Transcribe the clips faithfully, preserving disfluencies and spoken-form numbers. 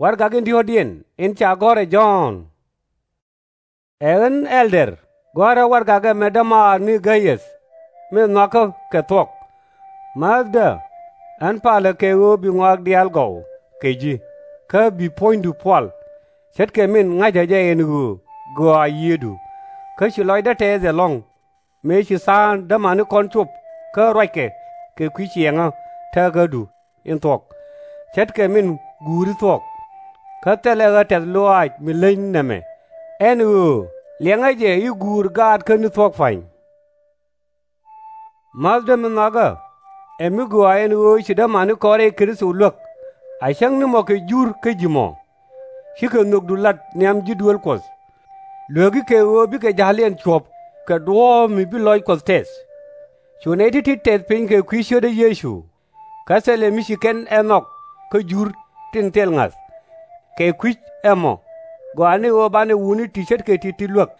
Warɛgak in diɔ̱ɔ̱kdiɛn in ca gɔ̱r ɛ Jɔ̱ɔ̱n. Ɛ ɣän ɛldɛr, gɔ̱a̱rä warɛgak ɛmɛ dämaar ni Gay-äth, min nhɔakä kɛ thuɔ̱k. Määthdä, ɣän palä kɛ ɣöö bi ŋɔak diaal gɔw kɛ ji̱, kä bi puɔ̱nydu pual, ce̱tkɛ min ŋa̱cä jɛ ɛn ɣöö gɔaa yiëëdu, kä ci lɔcdä tɛɛth ɛlɔ̱ŋ, mëë ci tha̱a̱ŋ dämanikɔn cop kä ruackɛ kɛ kui̱ ciɛŋä teekädu in thuɔ̱k, ce̱tkɛ min guuri thuɔ̱k. Kä thilɛ ɣä tɛ̈th lɔaac mi leny nɛmɛ, ɛn ɣöö liɛŋä jɛ i̱ guur gaatkä ni thuɔ̱k pa̱ny. Määthdä min nhɔakä, ɛ mi gɔaa ɛn ɣöö ci dämanikɔn rɛy Kritho luäk, a cäŋ ni mɔ kɛ Jur kä ji̱ mɔ. Cikɛ nhökdu lat nhiam ji̱ duëël Kuɔth. Luäki kɛ ɣöö bikɛ ja̱liɛn cuɔ̱p kɛ duɔ̱ɔ̱p mi bi lɔc Kuɔth tɛth. Cu nɛy ti̱ti̱ tɛth piny kɛ kui̱ cio̱tdä Yecu, kä thilɛ mi ci kɛn ɛ nhɔk kä Jur tin thil ŋa̱th. Kɛ kui̱c ɛmɔ, gɔaa ni ɣöö banɛ wutni ti ce̱tkɛ ti̱ti̱ luäk,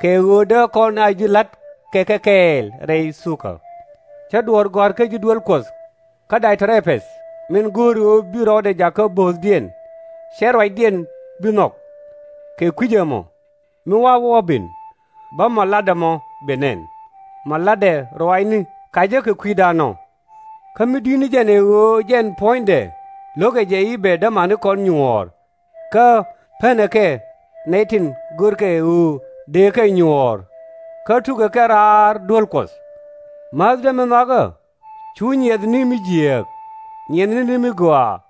kɛ ɣöö dee kɔn a ji̱ la̱t kɛ kɛ kɛɛl rɛy thukä. Cä duɔ̱ɔ̱r gɔ̱a̱r kä ji̱ duëël Kuɔth, kä Day-ɔ-trɛ-peth min go̱o̱ri ɣöö bi rɔɔdɛ jakä bo̱o̱thdiɛn, /cɛ ruacdiɛn bi nhɔk. Kɛ kui̱c ɛmɔ, mi wa̱a̱ wä ben, bä mɔ latdɛ mɔ ben nɛn, mɔ latdɛ ruaacni kacä kɛ kui̱dan ɔ. Kä mi di̱t ni jɛn ɛ ɣöö jɛn puɔ̱nydɛ lo̱kɛ jɛ i̱ bɛ dämanikɔn nyuɔ̱ɔ̱r, kä penɛ kɛ nɛy tin görkɛ ɣöö dëë kɛ nyuɔ̱ɔ̱r, kä tukɛ kɛ raar duel Kuɔth. Määthdä min nhɔakä, /cu nyiɛth ni mi jiääk, nyiɛthni ni mi gɔaa.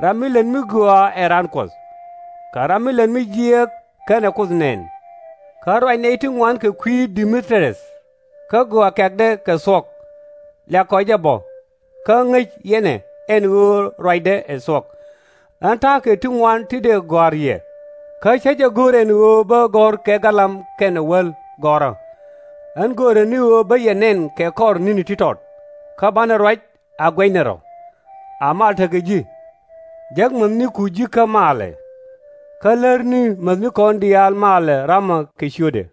Ram mi lät mi gɔaa ɛ raan Kuɔth, kä ram mi lät mi jiääk /kenɛ Kuoth nɛn. Kä ruac nɛy ti ŋuan kɛ kui̱ Dɛ-mi-triäth, kä gɔaa kɛ̈kdɛ kɛ thuɔ̱k. Liak kɔ jɛ bä, kä ŋäc yɛn ɛ ɛn ɣöö ruacdɛ ɛ thuɔ̱k. Ɣän ta̱a̱ kɛ ti ŋuan ti dëë gɔ̱a̱r yɛ, kä /cä jɛ go̱r ɛn ɣöö bä gɔ̱r kɛ galam kɛnɛ wäl gɔ̱rä. Ɣän göörä ni ɣöö bä yɛ nɛn kɛ kɔr ni̱ni ti tɔt, kä banɛ ruac a guɛcnɛ rɔ̱. A mal tekɛ ji̱. Jäk mäthniku ji̱ kä malɛ, kä lärni mäthnikɔn diaal malɛ ramɔ kɛ ciötdɛ.